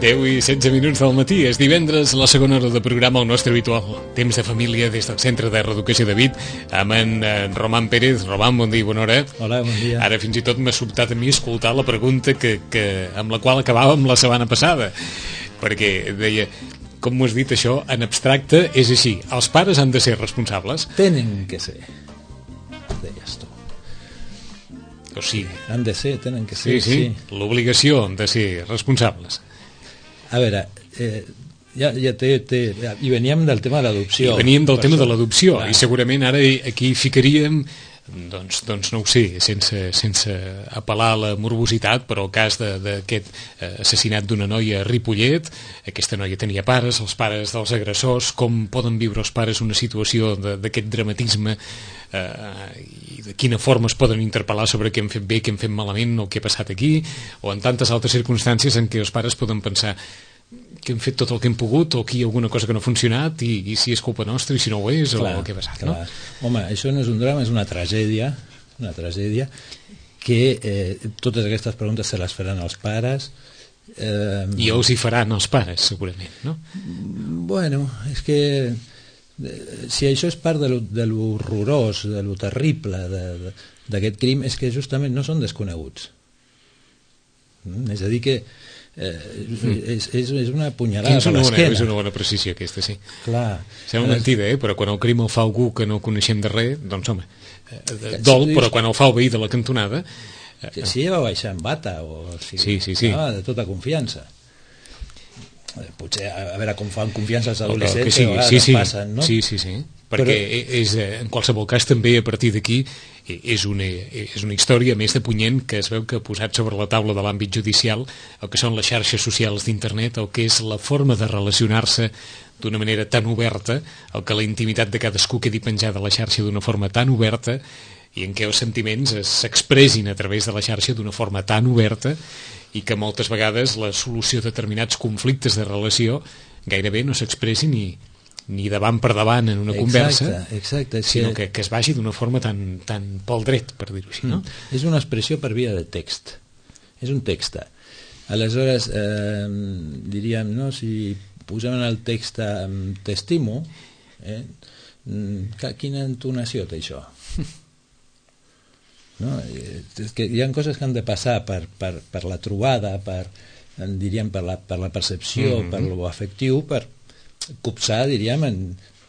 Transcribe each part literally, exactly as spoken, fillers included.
deu i setze minuts del matí. És divendres, la segona hora de programa, el nostre habitual temps de família des del Centre de Reeducació de Vic, amb en, en Roman Pérez. Roman, bon dia, bona hora. Hola, bon dia. Ara fins i tot m'ha sobtat a mi escoltar la pregunta que, que, amb la qual acabàvem la setmana passada, perquè deia, com m'ho has dit això, en abstracte és així, els pares han de ser responsables. Tenen que ser, deies tu. O sigui, han de ser, tenen que ser, sí, sí, sí. L'obligació de ser responsables. A veure, eh, ja, ja té, té, ja, i veníem del tema de l'adopció. I veníem del tema això, de l'adopció, clar. I segurament ara aquí ficaríem, doncs, doncs no ho sé, sense, sense apel·lar a la morbositat, però el cas d'aquest eh, assassinat d'una noia a Ripollet, aquesta noia tenia pares, els pares dels agressors, com poden viure els pares una situació d'aquest dramatisme, eh, i de quina forma es poden interpel·lar sobre què hem fet bé, què hem fet malament, o què ha passat aquí, o en tantes altres circumstàncies en què els pares poden pensar que hem fet tot el que hem pogut, o aquí hi ha alguna cosa que no ha funcionat, i, i si és culpa nostra, i si no ho és, clar, o què ha passat, clar. No? Home, això no és un drama, és una tragèdia, una tragèdia, que eh, totes aquestes preguntes se les faran els pares. Eh, I els hi faran els pares, segurament, no? Bueno, és que si això és part de lo, de lo horrorós, de lo terrible d'aquest crim, és que justament no són desconeguts. Mm? És a dir que eh, és, és, és una punyalada és per l'esquena. És una bona precisió aquesta, sí. Clar. Sembla mentida, eh? Però quan el crim el fa algú que no coneixem de res, doncs home, eh, dol, però quan el fa el veí de la cantonada... Eh, si, si ella va baixar en bata, o si sí, sí, sí. Ah, de tota confiança. Potser a veure com fan confiança els adolescents, que sí, que sí, sí, passen, no? Sí, sí, sí, perquè però... és, en qualsevol cas també a partir d'aquí és una, és una història més de punyent que es veu que ha posat sobre la taula de l'àmbit judicial el que són les xarxes socials d'internet, el que és la forma de relacionar-se d'una manera tan oberta, el que la intimitat de cadascú quedi penjada a la xarxa d'una forma tan oberta i en què els sentiments s'expressin a través de la xarxa d'una forma tan oberta i que moltes vegades la solució de determinats conflictes de relació gairebé no s'expressi ni, ni davant per davant en una exacte, conversa, exacte, sinó que, que es vagi d'una forma tan, tan pel dret, per dir-ho així, no? Mm. És una expressió per via de text. És un text. Aleshores, eh, diríem, no, si posem en el text eh, t'estimo, eh, quina entonació té això? No? És que hi ha coses que han de passar per, per, per la trobada, per, diríem, per la, per la percepció, mm-hmm. per lo afectiu, per copsar, diríem, en,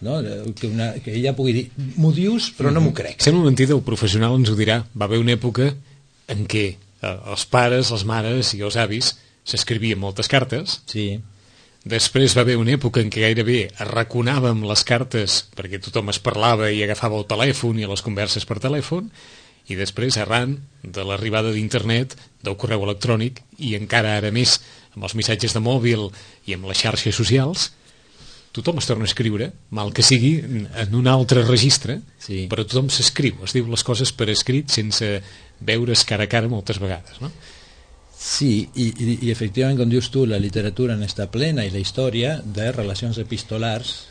no? que, una, que ella pugui dir m'ho dius però mm-hmm. no m'ho crec. Sembla mentida, el professional ens ho dirà. Va haver una època en què eh, els pares, les mares i els avis s'escrivien moltes cartes. Sí. Després va haver una època en què gairebé arraconàvem les cartes perquè tothom es parlava i agafava el telèfon i les converses per telèfon, i després, arran de l'arribada d'internet, del correu electrònic, i encara ara més amb els missatges de mòbil i amb les xarxes socials, tothom es torna a escriure, mal que sigui, en un altre registre, sí. Però tothom s'escriu, es diu les coses per escrit sense veure's cara a cara moltes vegades, no? Sí, i, i, i efectivament, com dius tu, la literatura n'està plena i la història de relacions epistolars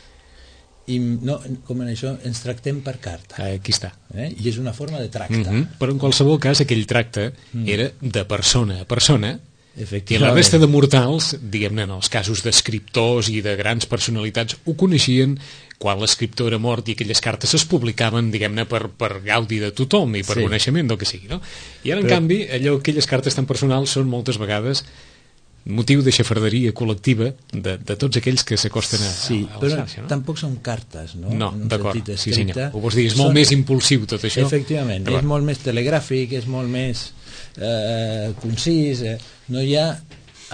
i no, com en això ens tractem per carta. Aquí està. Eh? I és una forma de tracte. Mm-hmm. Però en qualsevol cas aquell tracte mm. era de persona a persona i la resta de mortals, diguem-ne, en els casos d'escriptors i de grans personalitats, ho coneixien quan l'escriptor era mort i aquelles cartes es publicaven, diguem-ne, per, per gaudi de tothom i per sí. coneixement del que sigui, no? I ara, en Però... canvi, allò, aquelles cartes tan personals són moltes vegades motiu de xafarderia col·lectiva de, de tots aquells que s'acosten a, sí, a, a la però xarxa, no? Tampoc són cartes, no? No, d'acord, sí senyor. Ho vols dir, és són... molt més impulsiu tot això. Efectivament, és molt més telegràfic, és molt més eh, concís, eh, no hi ha...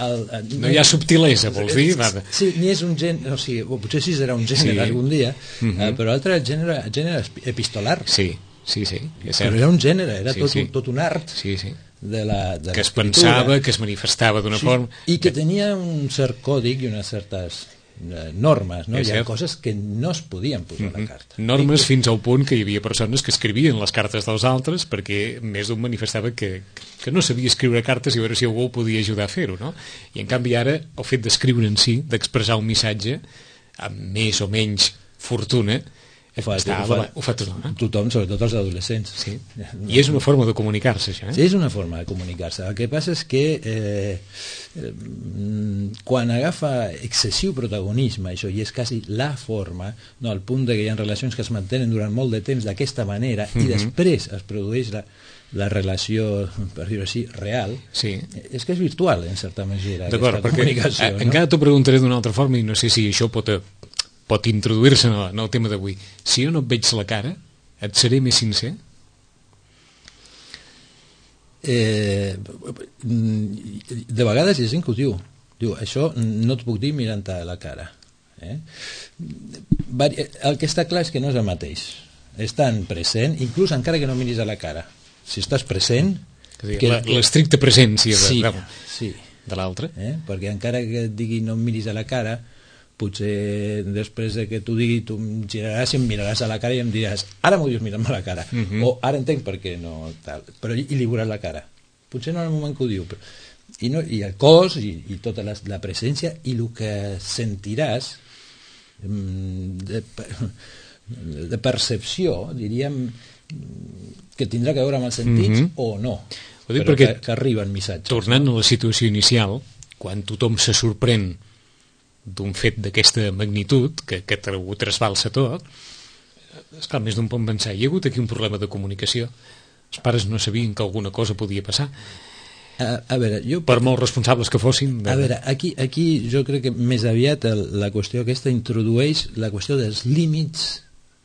El, el, no hi ha subtilesa, vols dir? Sí, sí, ni és un gènere, o sigui, potser sí serà un gènere sí. algun dia, mm-hmm. eh, però l'altre gènere, gènere epistolar. Sí, sí, sí. Però era un gènere, era sí, tot, sí. tot un art. Sí, sí. De la, de que es pensava, que es manifestava d'una sí, forma... I que tenia un cert còdic i unes certes eh, normes, no? Hi ha coses que no es podien posar mm-hmm. a la carta. Normes que... fins al punt que hi havia persones que escrivien les cartes dels altres perquè més d'un manifestava que, que no sabia escriure cartes i a veure si algú podia ajudar a fer-ho, no? I en canvi ara el fet d'escriure en si, d'expressar un missatge amb més o menys fortuna, Ho fa, Està, ho fa, ho fa tothom, eh? tothom, sobretot els adolescents. Sí. I és una forma de comunicar-se, això, eh? Sí, és una forma de comunicar-se. El que passa és que eh, eh, quan agafa excessiu protagonisme, això, i és quasi la forma, no, al punt de que hi ha relacions que es mantenen durant molt de temps d'aquesta manera, mm-hmm. i després es produeix la, la relació, per dir-ho així, real, sí. És que és virtual, en certa mesura, d'acord, aquesta comunicació. No? Encara t'ho preguntaré d'una altra forma, i no sé si això pot... pot introduir-se en, el, en el tema d'avui. Si jo no et veig la cara, et seré més sincer? Eh, de vegades hi ha gent que ho diu. Diu, això no et puc dir mirant-te a la cara. Eh? El que està clar és que no és el mateix. Estan present, inclús encara que no miris a la cara. Si estàs present... L'estricta presència de, sí, de, sí. de l'altre. Eh? Perquè encara que et digui no em miris a la cara, potser després de que t'ho digui tu em giraràs i em miraràs a la cara i em diràs ara m'ho dius mirant-me a la cara, uh-huh. o ara entenc per què no tal, però i li veuràs la cara, potser no en el moment que ho diu, però, i, no, i el cos i, i tota la, la presència i el que sentiràs de, de percepció, diríem, que tindrà que veure amb els sentits, uh-huh. o no, però que, que arriben missatges. Tornant a la situació inicial, quan tothom se sorprèn d'un fet d'aquesta magnitud, que, que ho trasbalsa tot, esclar, més d'un pot pensar, hi ha hagut aquí un problema de comunicació, els pares no sabien que alguna cosa podia passar, a, a veure, jo... per molt responsables que fossin. De... A veure, aquí, aquí jo crec que més aviat el, la qüestió aquesta introdueix la qüestió dels límits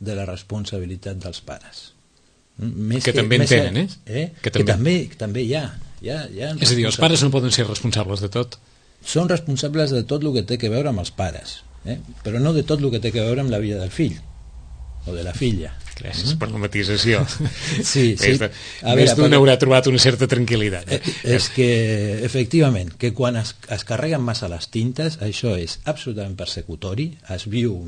de la responsabilitat dels pares. Més que, que també en tenen, eh? eh? Que, també... que també, que també hi ha. Hi ha, hi ha és a dir, els pares no poden ser responsables de tot. Són responsables de tot el que té que veure amb els pares, eh? Però no de tot el que té que veure amb la vida del fill o de la filla. Gràcies mm? per la matisació. Sí, sí. Més, de, més d'un haurà trobat una certa tranquil·litat. Eh? És que, efectivament, que quan es, es carreguen massa les tintes, això és absolutament persecutori, es viu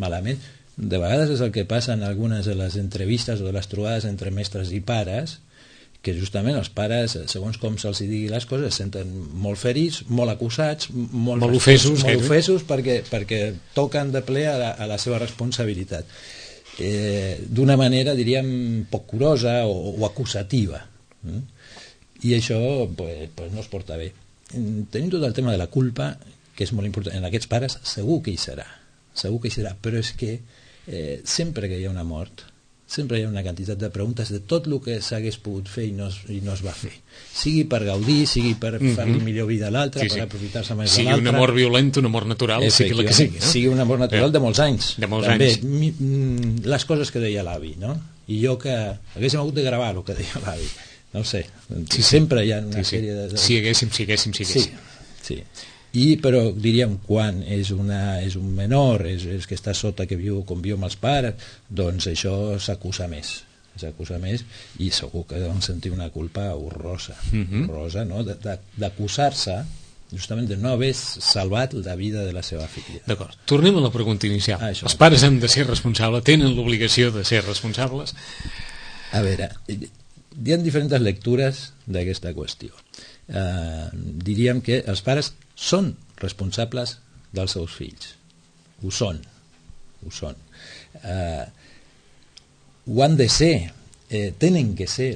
malament. De vegades és el que passa en algunes de les entrevistes o de les trobades entre mestres i pares, que justament els pares, segons com se'ls digui les coses, es senten molt ferits, molt acusats, molt, molt ofesos, molt ofesos perquè, perquè toquen de ple a la, a la seva responsabilitat. Eh, d'una manera, diríem, poc curosa o, o acusativa. Mm? I això pues, pues no es porta bé. Tenim tot el tema de la culpa, que és molt important. En aquests pares segur que hi serà, segur que hi serà, però és que eh, sempre que hi ha una mort, sempre hi ha una quantitat de preguntes de tot el que s'hagués pogut fer i no es, i no es va fer. Sigui per gaudir, sigui per mm-hmm. fer-li millor vida a l'altre, sí, sí. per aprofitar-se més sigui de l'altre. Sigui una mort violenta, una mort natural, sigui la que sigui. No? Sigui una mort natural de molts anys. De molts També, anys. Mi, les coses que deia l'avi, no? I jo que haguéssim hagut de gravar el que deia l'avi. No ho sé. Sí, sí. Sempre hi ha una sí, sí. sèrie de... Si haguéssim, si haguéssim, si haguéssim. Sí, sí. I, però diríem, quan és, una, és un menor, és, és que està sota, que viu, conviu amb els pares, doncs això s'acusa més. s'acusa més i segur que deuen sentir una culpa horrorosa, mm-hmm. horrorosa, no? d'acusar-se justament de no haver salvat la vida de la seva filla. D'acord, tornem a la pregunta inicial. Ah, els pares han de ser responsables, tenen l'obligació de ser responsables? A veure, hi ha diferents lectures d'aquesta qüestió. Uh, diríem que els pares són responsables dels seus fills, ho són, ho són. Uh, ho han de ser, eh, tenen que ser.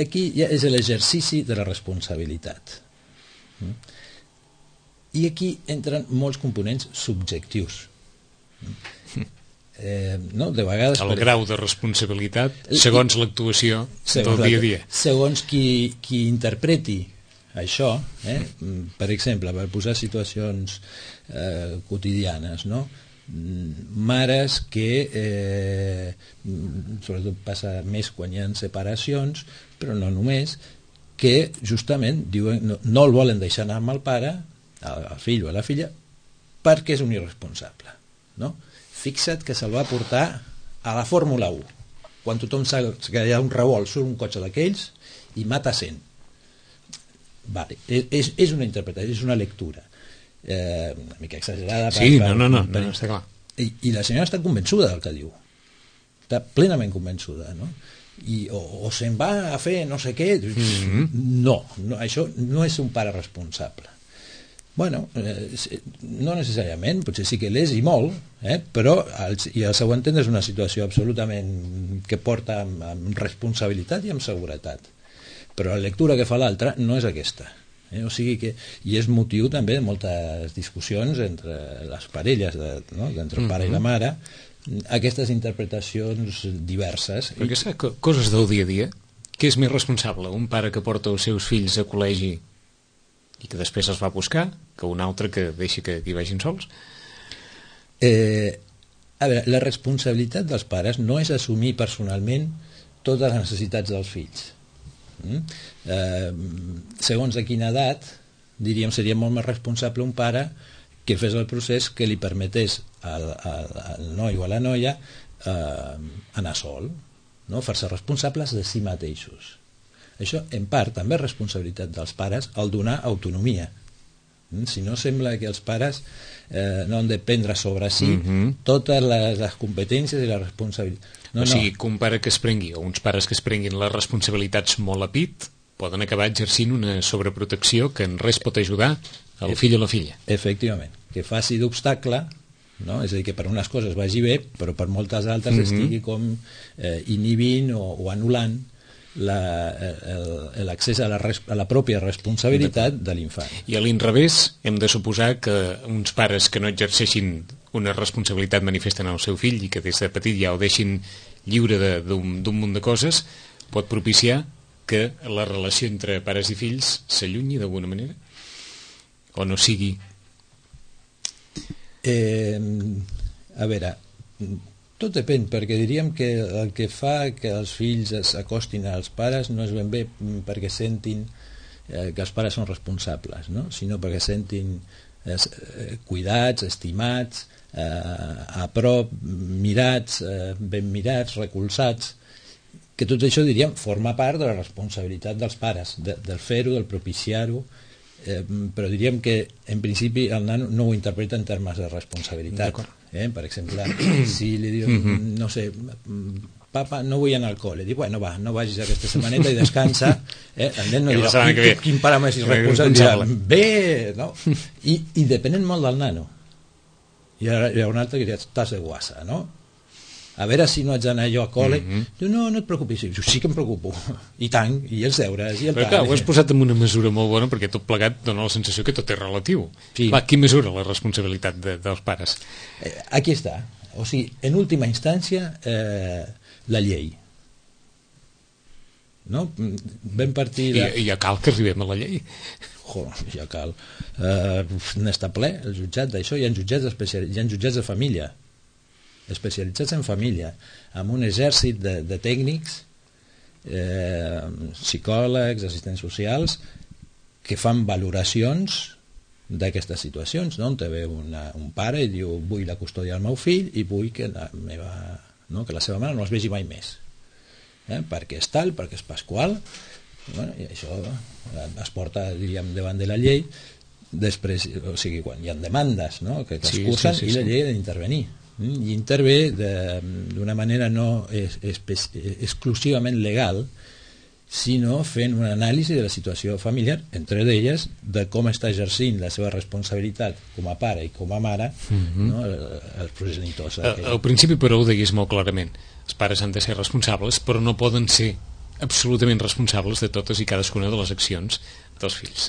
Aquí ja és l'exercici de la responsabilitat. Mm? I aquí entren molts components subjectius. Mm? Eh, no? De vegades... El per... grau de responsabilitat segons l'actuació del dia a dia. Segons qui, qui interpreti això, eh? Per exemple, per posar situacions eh, quotidianes, no? Mares que eh, sobretot passa més quan hi ha separacions, però no només, que justament diuen, no, no el volen deixar anar amb el pare, el fill o la filla, perquè és un irresponsable, no? Fixa't que se'l va portar a la Fórmula u, quan tothom sap que hi ha un revolt, surt un cotxe d'aquells i mata cent. Vale. És, és una interpretació, és una lectura eh, una mica exagerada per, sí, per, no, no, no, per, no, està clar. I, i la senyora està convençuda del que diu, està plenament convençuda, no? I, o, o se'n va a fer no sé què, mm-hmm. no, no, això no és un pare responsable. Bueno, eh, no necessàriament, potser sí que l'és i molt, eh? Però el, i el seu entendre és una situació absolutament que porta amb, amb responsabilitat i amb seguretat. Però la lectura que fa l'altre no és aquesta. Eh? O sigui que, i és motiu també de moltes discussions entre les parelles, de, no? entre el pare mm-hmm. i la mare, aquestes interpretacions diverses. Perquè saps, coses del dia a dia, què és més responsable? Un pare que porta els seus fills a col·legi i que després els va buscar, que un altre que deixi que hi vagin sols? Eh, a veure, la responsabilitat dels pares no és assumir personalment totes les necessitats dels fills. Mm? Eh, segons de quina edat, diríem, seria molt més responsable un pare que fes el procés que li permetés al, al, al noi o a la noia eh, anar sol, no? Fer-se responsables de si mateixos. Això, en part, també és responsabilitat dels pares al donar autonomia. Si no, sembla que els pares eh, no han de prendre sobre si mm-hmm. totes les, les competències i la responsabilitat. No, o sigui, no. Que un pare que es prengui, o uns pares que es prenguin les responsabilitats molt a pit, poden acabar exercint una sobreprotecció que en res pot ajudar al fill o la filla. Efectivament, que faci d'obstacle, no? És a dir, que per unes coses vagi bé, però per moltes altres mm-hmm. estigui com eh, inhibint o, o anul·lant l'accés a, la a la pròpia responsabilitat de l'infant. I a l'inrevés, hem de suposar que uns pares que no exerceixin una responsabilitat manifesten al seu fill i que des de petit ja ho deixin lliure d'un munt de coses, pot propiciar que la relació entre pares i fills s'allunyi d'alguna manera? O no sigui? Eh, a veure... Tot depèn, perquè diríem que el que fa que els fills s'acostin als pares no és ben bé perquè sentin eh, que els pares són responsables, no? Sinó perquè sentin eh, cuidats, estimats, eh, a prop, mirats, eh, ben mirats, recolzats, que tot això, diríem, forma part de la responsabilitat dels pares, de, del fer-ho, del propiciar-ho, eh, però diríem que en principi el nano no ho interpreta en termes de responsabilitat. Eh? Per exemple, si li diu, mm-hmm. no sé, papa, no vull anar al col·le, diu, bueno, va, no vagis aquesta setmaneta i descansa, eh? El nen no dirà, quin, quin pare més irresponsable, dirà, bé, no? I, i depenent molt del nano. Hi ha, hi ha un altre que dirà, estàs de guassa, no? A veure si no haig d'anar jo a col·le. Mm-hmm. Diu, no, no et preocupis. Diu, sí que em preocupo. I tant, i els deures, i el però tant. Clar, ho has posat en una mesura molt bona perquè tot plegat dona la sensació que tot és relatiu. Sí. Va, qui mesura la responsabilitat de, dels pares? Eh, aquí està. O sigui, en última instància, eh, la llei. No? Vam partir... De... I, I ja cal que arribem a la llei. Jo, ja cal. Eh, N'està ple el jutjat d'això. Hi ha jutjats especial... hi ha jutjats de família especialitzats en família, amb un exèrcit de, de tècnics, eh, psicòlegs, assistents socials, que fan valoracions d'aquestes situacions, no? On te ve una, un pare i diu, vull la custòdia del meu fill i vull que la, meva, no? que la seva mare no els vegi mai més. Eh? Perquè és tal, perquè és pasqual, bueno, i això es porta, diríem, davant de la llei, després, o sigui, quan hi ha demandes, no? que, que es sí, cursen, sí, sí, i la llei ha d'intervenir. I intervé d'una manera no es, es, exclusivament legal, sinó fent una anàlisi de la situació familiar, entre d'elles de com està exercint la seva responsabilitat com a pare i com a mare, mm-hmm. no, els progenitors. Al, al principi, però, ho deies molt clarament. Els pares han de ser responsables, però no poden ser absolutament responsables de totes i cadascuna de les accions dels fills.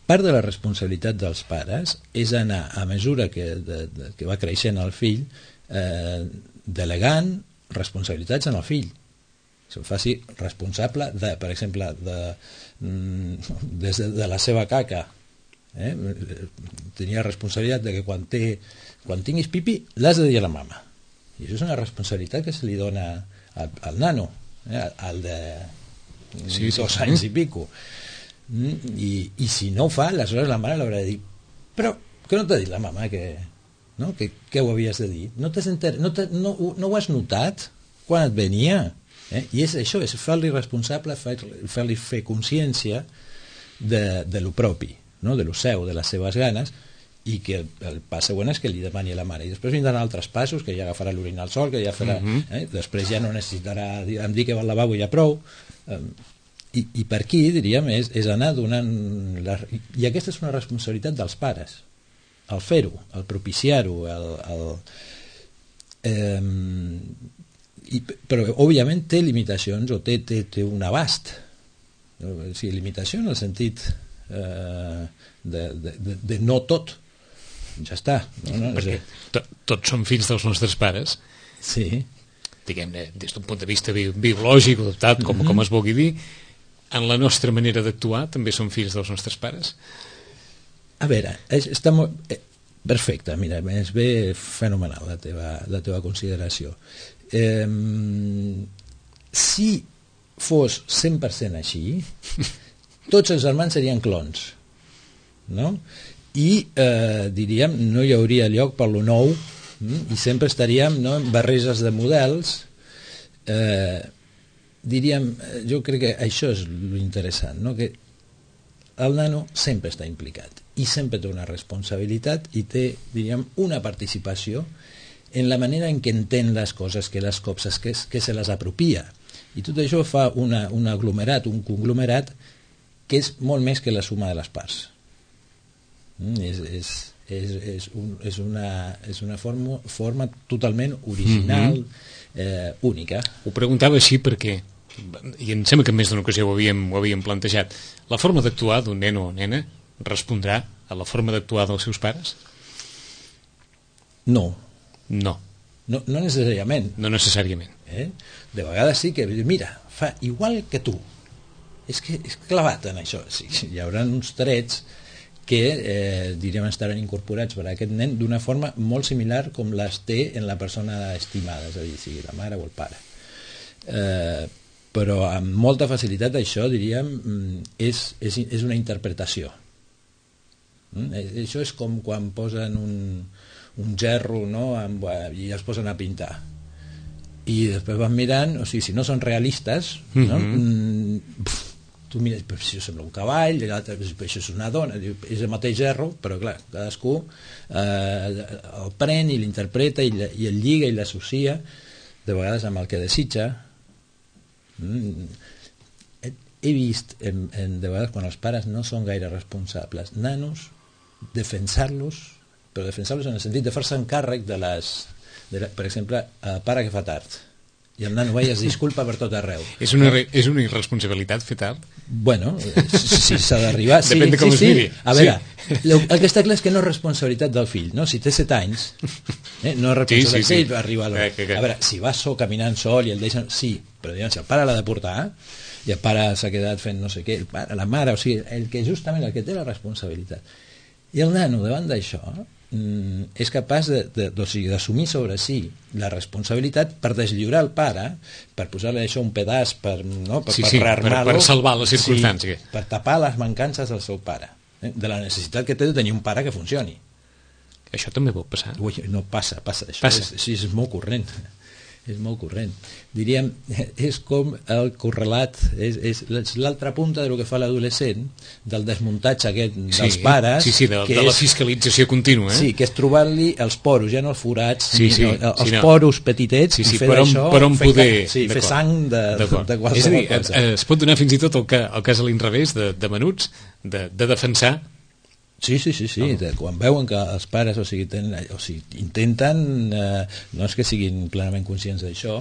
Part de la responsabilitat dels pares és anar, a mesura que, de, de, que va creixent el fill, eh, delegant responsabilitats en el fill. Se'l faci responsable, de, per exemple, de, de, de, de la seva caca. Eh? Tenia responsabilitat de que quan, té, quan tinguis pipi l'has de dir a la mama. I això és una responsabilitat que se li dona al, al nano, eh? al de sí, dos sí, anys sí. i pico. I, i si no ho fa, aleshores la mare l'haurà de dir, però que no t'ha dit la mama que, no? que, que ho havies de dir, no, enter... no, no, no ho has notat quan et venia, eh? I és això, és fer-li responsable, fer-li fer consciència de, de lo propi, no? de lo seu, de les seves ganes, i que el, el pas següent és que li demani a la mare, i després vindran altres passos, que ja agafarà l'orina al sol, que ja farà, mm-hmm. eh? després ja no necessitarà em dir que va al lavabo i ja prou, eh? i, i per aquí, diríem, és, és anar donant... La, i aquesta és una responsabilitat dels pares, el fer-ho, el propiciar-ho, el... el eh, i, però, òbviament, té limitacions o té, té, té un abast. O sigui, limitació en el sentit eh, de, de, de, de no tot. Ja està. No, no, perquè to, tots som fills dels nostres pares. Sí. Diguem-ne, des d'un punt de vista bi biològic o adaptat, com, mm-hmm. com es vulgui dir, en la nostra manera d'actuar també som fills dels nostres pares? A veure, és, està molt... Eh, perfecte, mira, és bé fenomenal la teva, la teva consideració. Eh, si fos cent per cent així, tots els germans serien clons, no? I eh, diríem, no hi hauria lloc per lo nou, mm? I sempre estaríem, no, en barreges de models. Eh, diríem, jo crec que això és l'interessant, no? Que el nano sempre està implicat i sempre té una responsabilitat i té, diríem, una participació en la manera en què entén les coses, que les copses, que, que se les apropia. I tot això fa una, un aglomerat, un conglomerat que és molt més que la suma de les parts. Mm, és, és, és, és, un, és una, és una forma, forma totalment original, mm-hmm. eh, única. Ho preguntava així perquè, i em sembla que en més d'una ocasió ho havíem, ho havíem plantejat, la forma d'actuar d'un nen o nena respondrà a la forma d'actuar dels seus pares? No. No. No, no necessàriament. No necessàriament. Eh? De vegades sí que, mira, fa igual que tu. És que és clavat en això. Sí, hi haurà uns trets que, eh, diríem, estaran incorporats per a aquest nen d'una forma molt similar com les té en la persona estimada, és a dir, sigui la mare o el pare. Eh, però amb molta facilitat això, diríem, és, és, és una interpretació. Mm? Això és com quan posen un, un gerro, no? Amb, i els posen a pintar. I després van mirant, o sigui, si no són realistes, no? Mm-hmm. Pf, tu mires, però això sembla un cavall, l'altre, això és una dona, és el mateix gerro, però clar, cadascú eh, el pren i l'interpreta i, i el lliga i l'associa, de vegades amb el que desitja. Mm. He vist en, en, de vegades quan els pares no són gaire responsables, nanos defensar-los, però defensar-los en el sentit de fer-se encàrrec de les, de la, per exemple, eh, pare que fa tard i el nano veia es disculpa per tot arreu. És una, és una irresponsabilitat fer tard? Bueno, si s'ha d'arribar, sí, depèn de com sí, es miri. Sí. A veure, sí. el, el que està clar és que no és responsabilitat del fill, no? Si té set anys, eh, no és responsabilitat sí, sí, sí. Ell arriba a l'hora. Eh, a veure, si va sol caminant sol i el deixen... Sí, però diguem, si el pare l'ha de portar i el pare s'ha quedat fent no sé què, el pare, la mare, o sigui, el que justament el que té la responsabilitat. I el nano, davant d'això, és capaç de, de, de, o sigui, d'assumir sobre si la responsabilitat per deslliurar el pare, per posar-li això un pedaç per, no, per, sí, per sí, rearmar-lo, per, per salvar la circumstància, sí, per tapar les mancances del seu pare, eh? De la necessitat que té de tenir un pare que funcioni. Això també pot passar? Ui, no passa, passa, això passa. És, sí, és molt corrent. És molt corrent. Diríem, és com el correlat, és, és l'altra punta del que fa l'adolescent, del desmuntatge aquest dels sí, pares. Sí, sí, de, de la és, fiscalització contínua. Eh? Sí, que és trobar-li els poros, ja no els forats, sí, sí, no, els sí, no. poros petitets, sí, sí, i fer per on, d'això, per on fer, poder, sí, fer sang de, de qualsevol és a dir, cosa. Es pot donar fins i tot el, que, el cas a l'inrevés de, de menuts, de, de defensar. Sí, sí, sí, sí. Oh. De, quan veuen que els pares o sigui, tenen, o sigui, intenten, eh, no és que siguin plenament conscients d'això,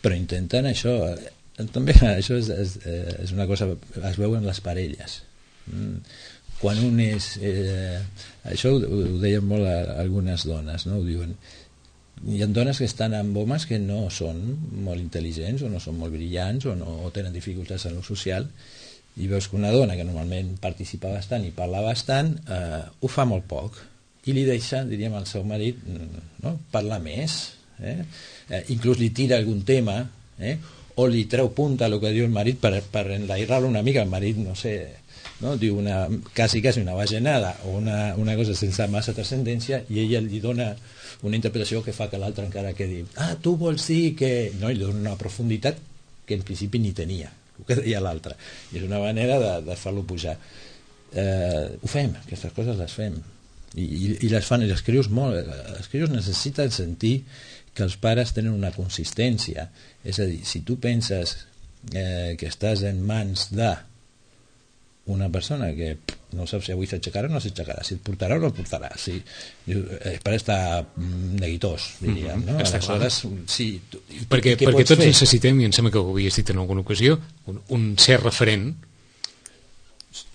però intenten això, eh, també això és, és, és una cosa, es veu en les parelles. Mm. Quan un és... Eh, això ho, ho deien molt a, a algunes dones, no? Ho diuen. Hi ha dones que estan amb homes que no són molt intel·ligents o no són molt brillants o, no, o tenen dificultats en lo social, i veus que una dona que normalment participa bastant i parla bastant, eh, ho fa molt poc i li deixa, diríem, al seu marit, no? Parlar més, eh? Eh, inclús li tira algun tema, eh? O li treu punta el que diu el marit per, per enlairar-lo una mica. El marit, no sé, no? Diu una, quasi, quasi una bajanada o una, una cosa sense massa transcendència i ella li dona una interpretació que fa que l'altre encara quedi, ah, tu vols dir que... No, i li dona una profunditat que en principi ni tenia, el que deia l'altre, i és una manera de, de fer-lo pujar. Eh, ho fem, aquestes coses les fem i, i, i les fan, i els crios molt, els crios necessiten sentir que els pares tenen una consistència, és a dir, si tu penses eh, que estàs en mans de una persona que no saps si avui s'aixecarà o no s'aixecarà, si et portarà o no et portarà, si, el pare està neguitós, diríem, no? Està Aleshores, sí, tu, perquè, perquè tots fer? necessitem, i em sembla que ho havies dit en alguna ocasió, un, un ser referent,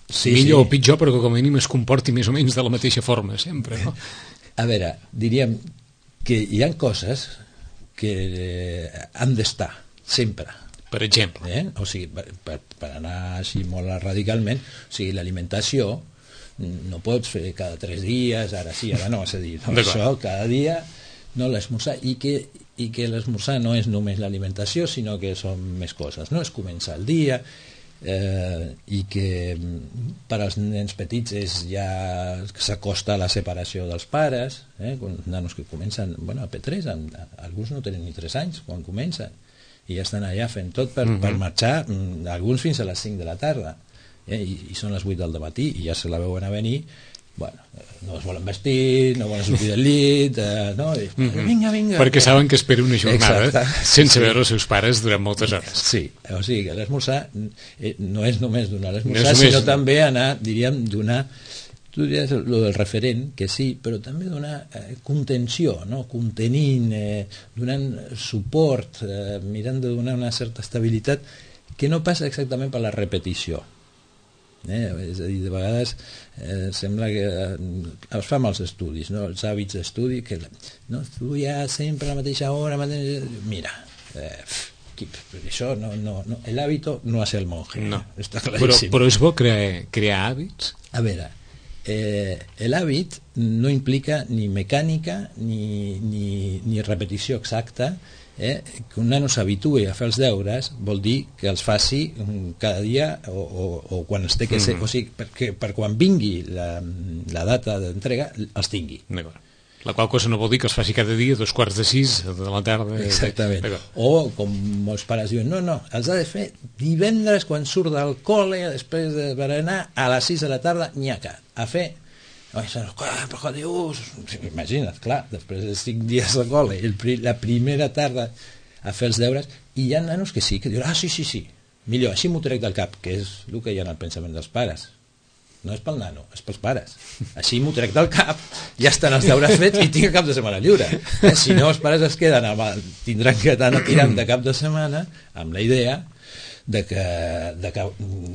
sí, millor sí. o pitjor, però que com a mínim es comporti més o menys de la mateixa forma sempre, no? A veure, diríem que hi ha coses que han d'estar sempre, per exemple, eh? O sigui, per, per, per anar així molt radicalment, o sigui, l'alimentació no pots fer cada tres dies, ara sí, ara no, és a dir, no, això cada dia no l'esmorzar, i que, i que l'esmorzar no és només l'alimentació, sinó que són més coses, no? És començar el dia, eh, i que per als nens petits és ja s'acosta a la separació dels pares, eh? Nanos que comencen, bueno, a P tres, alguns no tenen ni tres anys quan comencen, i ja estan allà fent tot per, uh-huh. per marxar, alguns fins a les cinc de la tarda, eh? I, i són les vuit del matí i ja se la veuen a venir, bueno, no es volen vestir, no volen sortir del llit, eh, no? I, uh-huh. vinga, vinga, perquè saben que espera una jornada exacte. sense sí. veure els seus pares durant moltes hores. Sí, o sigui que l'esmorzar eh, no és només donar l'esmorzar, no sinó només... també anar, diríem, donar, tu diries el del referent, que sí, però també donar eh, contenció, no? Contenint, eh, donant suport, eh, mirant de donar una certa estabilitat que no passa exactament per la repetició. Eh? És a dir, de vegades eh, sembla que eh, es fa amb els estudis, no? Els hàbits d'estudi, que no, estudiar sempre a la mateixa hora, mateixa... mira, eh, això no, no, no, el hábito no hace el monje, no. Està claríssim. Però, però és bo crear, crear hàbits? A veure, Eh, el hàbit no implica ni mecànica ni, ni, ni repetició exacta, eh? Que un nano s'habitui a fer els deures vol dir que els faci cada dia o, o, o quan es té que ser, mm. o sigui, perquè per quan vingui la, la data d'entrega els tingui. D'acord. La qual cosa no vol dir que els faci cada dia dos quarts de sis de la tarda. Exactament. O com molts pares diuen, no, no, els ha de fer divendres quan surt del col·le, després de berenar, a les sis de la tarda, nyaca, a fer... Imagina't, clar, després de cinc dies de col·le, el, la primera tarda a fer els deures, i hi ha nanos que sí, que diuen, ah, sí, sí, sí, millor, així m'ho trec del cap, que és el que hi ha en el pensament dels pares. No és pel nano, és pels pares. Així m'ho trec del cap, ja estan els deures fets i tinc el cap de setmana lliure. Eh? Si no, els pares es queden amb el, tindran que anar tirant de cap de setmana amb la idea de que, de que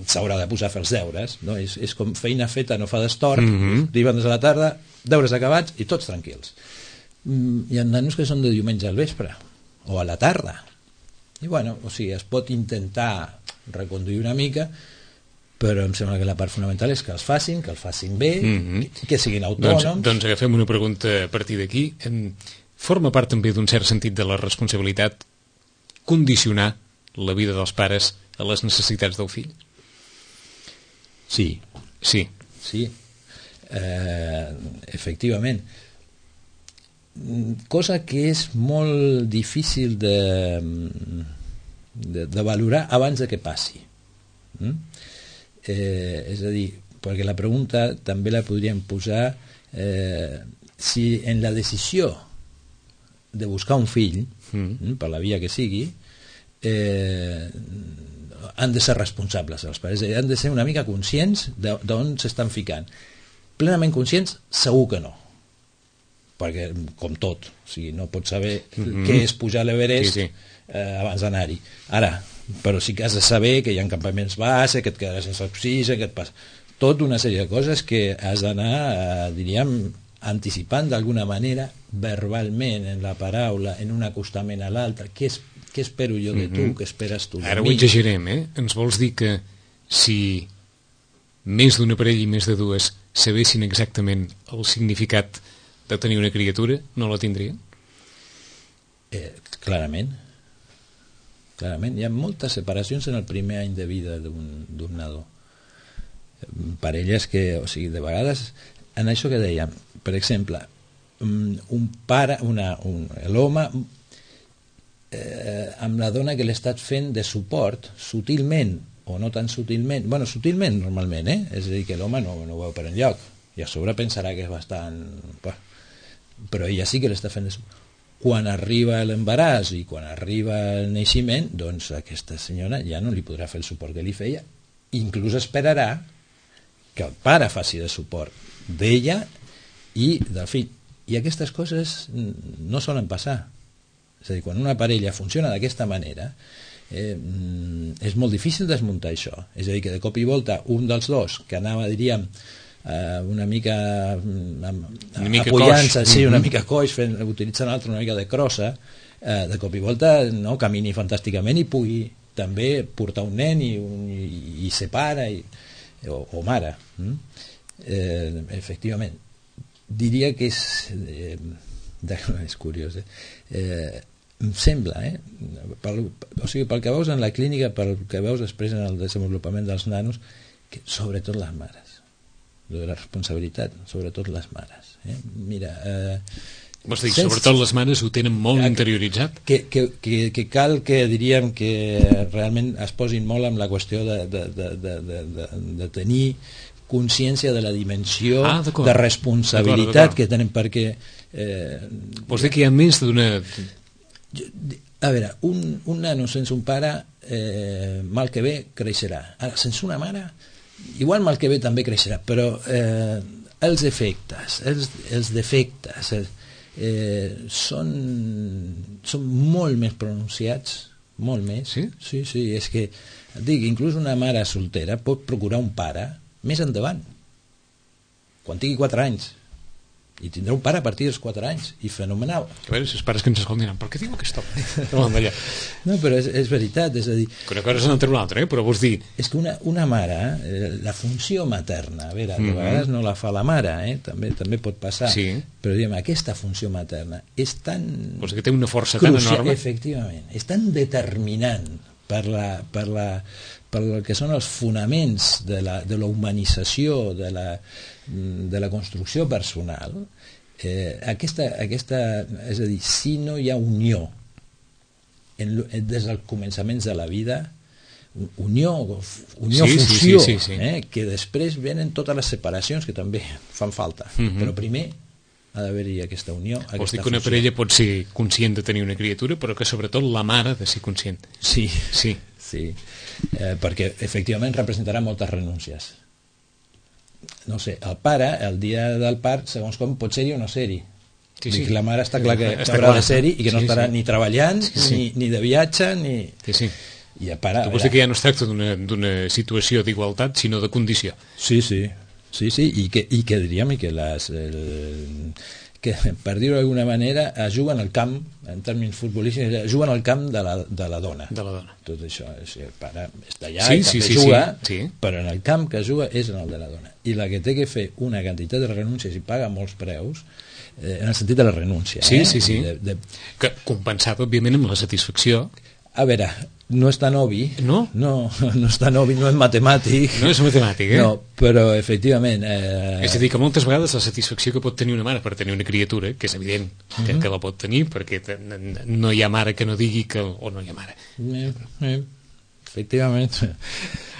s'haurà de posar a fer els deures, no? És, és com feina feta no fa d'estort, mm-hmm. divendres a la tarda, deures acabats i tots tranquils. Mm, hi ha nanos que són de diumenge al vespre o a la tarda, i bueno, o sigui, es pot intentar reconduir una mica, però em sembla que la part fonamental és que els facin, que els facin bé, mm-hmm. que, que siguin autònoms. Doncs, doncs agafem una pregunta a partir d'aquí. Forma part també d'un cert sentit de la responsabilitat condicionar la vida dels pares a les necessitats del fill? Sí. Sí. Sí. Eh, efectivament. Cosa que és molt difícil de, de, de valorar abans de que passi. Mm? Eh, és a dir, perquè la pregunta també la podríem posar eh, si en la decisió de buscar un fill mm. per la via que sigui eh, han de ser responsables els pares, han de ser una mica conscients d'on s'estan ficant. Plenament conscients segur que no, perquè com tot, o sigui, no pots saber mm-hmm. què és pujar a l'Everest sí, sí. Eh, abans d'anar-hi. Ara, però sí que has de saber que hi ha campaments base, que et quedaràs sense oxigen, que et passa tot una sèrie de coses que has d'anar, eh, diríem, anticipant d'alguna manera verbalment, en la paraula, en un acostament a l'altre. Què, es, què espero jo de tu? Mm-hmm. Què esperes tu de Ara mi? Ara ho exagerem, eh? Ens vols dir que si més d'una parella i més de dues sabessin exactament el significat de tenir una criatura, no la tindrien? Eh, clarament. Clarament. Hi ha moltes separacions en el primer any de vida d'un nadó. Parelles que, o sigui, de vegades, en això que dèiem, per exemple, un pare, una, un, l'home eh, amb la dona que l'ha estat fent de suport, sutilment o no tan sutilment, bueno, sutilment normalment, eh? És a dir, que l'home no, no ho veu per enlloc, i a sobre pensarà que és bastant... Però ella sí que l'està fent de suport. quan arriba l'embaràs i quan arriba el naixement, doncs aquesta senyora ja no li podrà fer el suport que li feia, inclús esperarà que el pare faci de suport d'ella i del fill. I aquestes coses no solen passar. És a dir, quan una parella funciona d'aquesta manera, eh, és molt difícil desmuntar això. És a dir, que de cop i volta un dels dos, que anava, diríem, eh, una mica, una mica apoyant-se, sí, una mm-hmm. mica coix, fent, utilitzant l'altre una mica de crossa, eh, de cop i volta no, camini fantàsticament i pugui també portar un nen i, un, i, i ser pare i, o, o mare. Mm? Eh, efectivament. Diria que és... Eh, de, és curiós, eh? Eh, em sembla, eh? Pel, o sigui, pel que veus en la clínica, pel que veus després en el desenvolupament dels nanos, que sobretot les mares, de la responsabilitat, sobretot les mares. Eh? Mira... Eh, Vols dir, sobretot les mares ho tenen molt que, interioritzat? Que, que, que, que cal que diríem que realment es posin molt amb la qüestió de, de, de, de, de, de, de tenir consciència de la dimensió ah, de responsabilitat d'acord, d'acord. que tenen, perquè... Eh, Vols dir que hi ha més d'una... A veure, un, un nano sense un pare, eh, mal que bé, creixerà. Ara, sense una mare, igual mal que bé també creixerà, però eh, els efectes, els, els defectes, els, eh, són, són molt més pronunciats, molt més. Sí? Sí, sí, és que, et dic, inclús una mare soltera pot procurar un pare més endavant, quan tingui quatre anys, i tindrà un pare a partir dels quatre anys, i fenomenal. A veure, si els pares que ens escoltin, per què diu aquest home? No, però és, és veritat, és a dir... Que una cosa és una altra una altra, eh? Però vols dir... És que una, una mare, eh, la funció materna, a veure, que mm-hmm. a vegades no la fa la mare, eh? també, també pot passar, sí. però diguem, aquesta funció materna és tan... Vols dir que té una força crucial, tan enorme? Efectivament, és tan determinant per la... Per la per el que són els fonaments de la, de la humanització, de la, de la construcció personal, eh, aquesta, aquesta, és a dir, si no hi ha unió en, des dels començaments de la vida, unió, unió sí, fusió, sí, sí, sí, sí. Eh, que després venen totes les separacions que també fan falta, mm-hmm. però primer ha d'haver-hi aquesta unió, aquesta Vols dir que una fusió. parella pot ser conscient de tenir una criatura, però que sobretot la mare ha de ser conscient. Sí, sí. sí. Eh, perquè efectivament representarà moltes renúncies. No sé, el pare, el dia del part, segons com, pot ser-hi o no ser-hi. Sí, sí. La mare està clar que està haurà clar. de ser-hi i que no sí, estarà sí. ni treballant, sí, sí. Ni, ni de viatge, ni... Sí, sí. I el pare... Tu vols dir que ja no es tracta d'una situació d'igualtat, sinó de condició. Sí, sí. Sí, sí, i que, i que diríem i que les... El, que, per dir-ho d'alguna manera, es juguen al camp, en termes futbolístics, es juguen al camp de la, de la dona. De la dona. Tot això, és, el pare està allà sí, i sí, també sí, juga, sí, sí. Però en el camp que juga és en el de la dona. I la que té que fer una quantitat de renúncies i paga molts preus, eh, en el sentit de la renúncia. Sí, eh? sí, sí. De, de... Que compensat, òbviament, amb la satisfacció. A veure, no és tan obvi, no? No, no és tan obvi, no és matemàtic. No és matemàtic, eh? No, però efectivament... Eh... És a dir, que moltes vegades la satisfacció que pot tenir una mare per tenir una criatura, que és evident que, uh-huh. que la pot tenir, perquè no hi ha mare que no digui que... o no hi ha mare. Eh, eh, efectivament.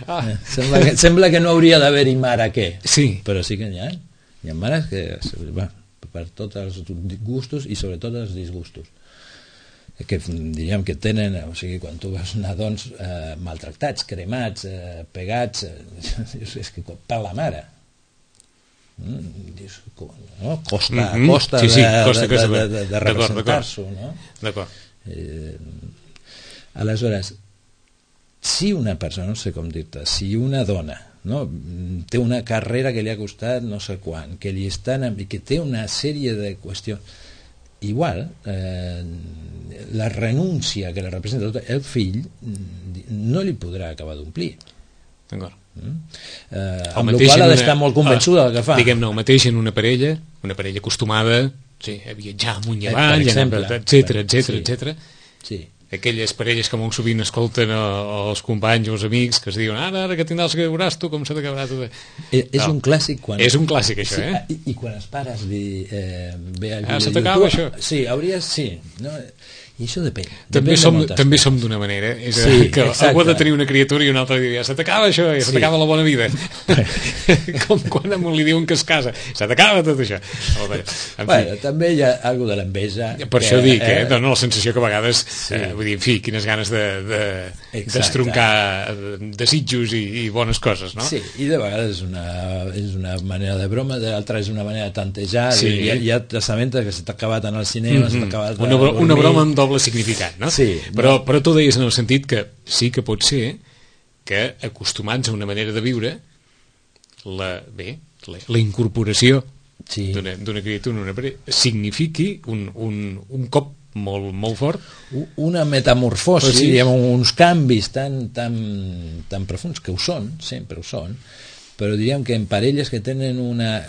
Ah. Eh, sembla, que, sembla que no hauria d'haver-hi mare què, sí. Però sí que n'hi ha. Hi ha mares que... Va, per tots els gustos i sobretot els disgustos. Que diríem que tenen, o sigui, quan tu veus nadons eh, maltractats, cremats, eh, pegats, eh, és que per la mare. Mm, dius, no? Costa, mm-hmm. costa, sí, sí, de, costa de, de, de, de representar-s'ho, no? D'acord. Eh, aleshores, si una persona, no sé com dir-te, si una dona, no, té una carrera que li ha costat no sé quan, que li estan, que té una sèrie de qüestions, igual eh, la renúncia que li representa tot el fill no li podrà acabar d'omplir. D'acord. Mm? Eh, amb la qual ha d'estar molt convençuda del que fa. Diguem-ne, el mateix en una parella, una parella acostumada sí, a viatjar amunt i avall, etcètera, etcètera, etcètera. Sí. Aquelles parelles que molt sovint escolten els companys o els amics que es diuen ara, ara que tindràs que veuràs tu com s'ha d'acabar tot. És, és no. un clàssic quan... És un clàssic això, sí, eh? I, i quan els pares li, eh, ve al ah, se t'acaba això? Sí, hauries... Sí, no? I això depèn. També depèn som, de també som d'una manera, és sí, que exacte. algú ha de tenir una criatura i un altre diu, ja se t'acaba això, ja se t'acaba sí. la bona vida. Com quan a un li diuen que es casa, se t'acaba tot això. Bé, bueno, també hi ha alguna de l'enveja. Per que, això dic, eh, eh, dona la sensació que a vegades, sí. eh, vull dir, en fi, quines ganes de, de, d'estroncar desitjos i, i bones coses, no? Sí, i de vegades és una, és una manera de broma, de l'altra és una manera de tantejar, sí. hi, ha, hi ha testamentes que se t'ha acabat en el cinema, mm-hmm. se t'ha acabat una, bro- una broma amb doble significat, no? Sí, però, no. però tu deies en el sentit que sí que pot ser que acostumats a una manera de viure la, bé, la, la incorporació sí. d'una, d'una criatura una parella, signifiqui un, un, un cop molt, molt fort, una metamorfosi, sí. diguem, uns canvis tan, tan, tan profuns, que ho són, sempre ho són, però diríem que en parelles que tenen una,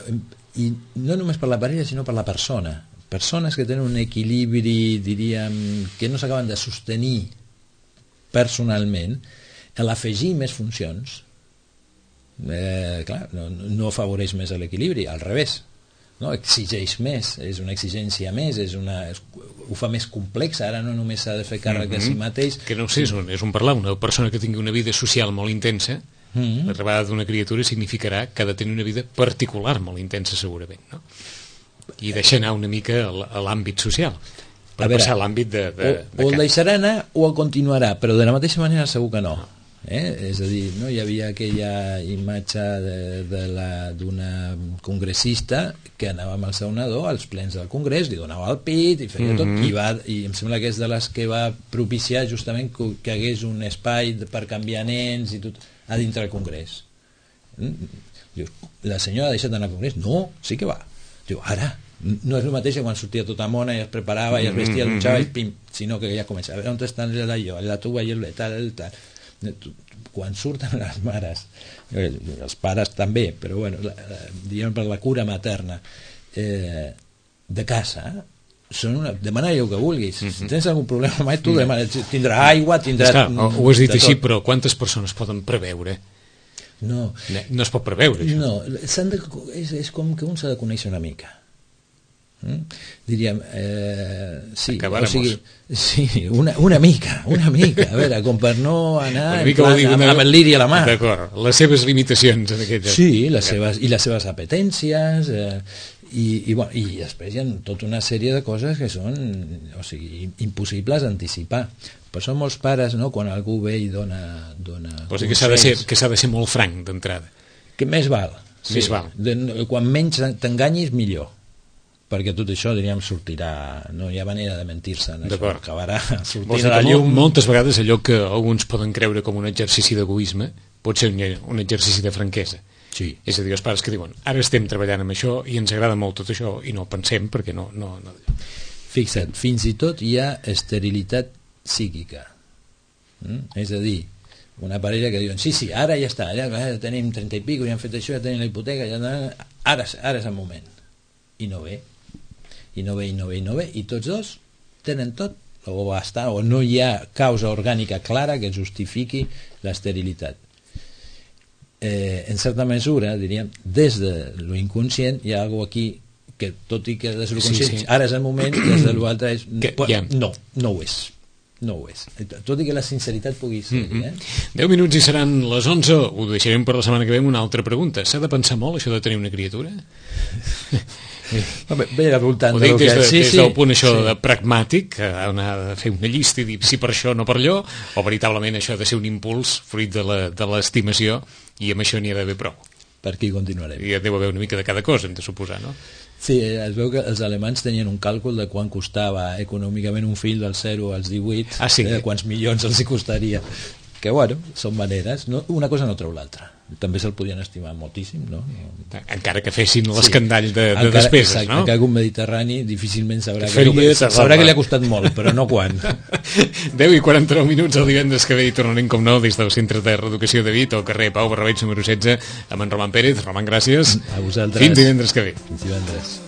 i no només per la parella sinó per la persona, persones que tenen un equilibri, diríem, que no s'acaben de sostenir personalment, a l'afegir més funcions, eh, clar, no, no afavoreix més l'equilibri, al revés, no? Exigeix més, és una exigència més, és una, és, ho fa més complex, ara no només s'ha de fer càrrec mm-hmm. de si mateix. Que no sé, és un, és un parlar, una persona que tingui una vida social molt intensa, mm-hmm. l'arribada d'una criatura significarà que ha de tenir una vida particular molt intensa segurament, no? I deixar anar una mica a l'àmbit social per a veure, passar a l'àmbit de, de, o, de o el deixarà anar o el continuarà, però de la mateixa manera segur que no, eh? És a dir, no hi havia aquella imatge de, de la, d'una congressista que anava amb el seu nadó als plens del congrés, li donava el pit i feia mm-hmm. tot, i, va, i em sembla que és de les que va propiciar justament que, que hagués un espai per canviar nens i tot a dintre del congrés. Dius, la senyora ha deixat d'anar al congrés? No, sí que va. Diu, ara, no és el mateix que quan sortia tota mona i es preparava i es vestia, mm-hmm. dutxava i pim, sinó que ja comença, a veure on estan jo, la tuba i el tal, el tal. Quan surten les mares, els pares també, però bueno, la, la, diguem per la cura materna, eh, de casa, són una, demana allò que vulguis. Mm-hmm. Si tens algun problema mai, tu demana, tindrà aigua, tindrà... Està, ho has dit així, tot. Però quantes persones poden preveure? No, no es pot preveure això. No, de, és, és com que un s'ha de conèixer una mica. Mm? Diríem, eh, sí, o sigui, sí, una, una mica, una mica, a veure, com per no anar en plan, amb, amb el liri a la mà. D'acord, les seves limitacions en aquest... Sí, les seves, i les seves apetències, eh, i, i, bueno, i després hi ha tota una sèrie de coses que són, o sigui, impossibles d'anticipar. Per això molts pares, no, quan algú ve i dona, dona o sigui, que s'ha de ser, que s'ha de ser molt franc d'entrada. Que més val. Sí, més val. De, quan menys t'enganyis, millor. Perquè tot això, diríem, sortirà... No hi ha manera de mentir-se en això. Acabarà sortint a la llum. Moltes vegades allò que alguns poden creure com un exercici d'egoisme pot ser un, un exercici de franquesa. Sí. És a dir, els pares que diuen, ara estem treballant amb això i ens agrada molt tot això i no pensem perquè no... no, no... Fixa't, fins i tot hi ha esterilitat psíquica. Mm? És a dir, una parella que diuen, sí, sí, ara ja està, ja, ja tenim trenta i pico, ja hem fet això, ja tenim la hipoteca, ja, ara, ara és el moment. I no ve. I no ve, i no ve, i no ve, i tots dos tenen tot, o va estar, o no hi ha causa orgànica clara que justifiqui l'esterilitat. Eh, en certa mesura, diríem, des de lo inconscient hi ha alguna aquí que, tot i que des de lo conscient, sí, sí. Ara és el moment, des de l'altre és... Que, ja. No, no ho és. No ho és, tot i que la sinceritat pugui ser, mm-hmm. eh? deu minuts i seran les onze, ho deixarem per la setmana que ve amb una altra pregunta. S'ha de pensar molt això de tenir una criatura? Bé, bé al voltant ho dic des, de, sí, des sí, del punt això sí. de pragmàtic, on ha de fer una llista i dir sí per això, no per allò, o veritablement això ha de ser un impuls fruit de l'estimació i amb això n'hi ha d'haver prou. Per aquí continuarem. I deu haver una mica de cada cosa, hem de suposar, no? Sí, es veu que els alemanys tenien un càlcul de quan costava econòmicament un fill del zero als divuit, ah, sí? eh, quants milions els hi costaria. Que, bueno, són maneres. No, una cosa no treu l'altra. També se'l podien estimar moltíssim, no? Encara que fessin l'escandall de, de encara, despeses, exacte, no? Encara que un mediterrani difícilment sabrà, Faria, que, sabrà que li ha costat molt, però no quan. deu i quaranta-nou minuts el divendres que ve i tornarem com nou des del Centre de Reeducació de Vic, al carrer Pau Barrabeig número setze, amb en Roman Pérez. Roman, gràcies. A vosaltres. Fins divendres que ve. Fins divendres.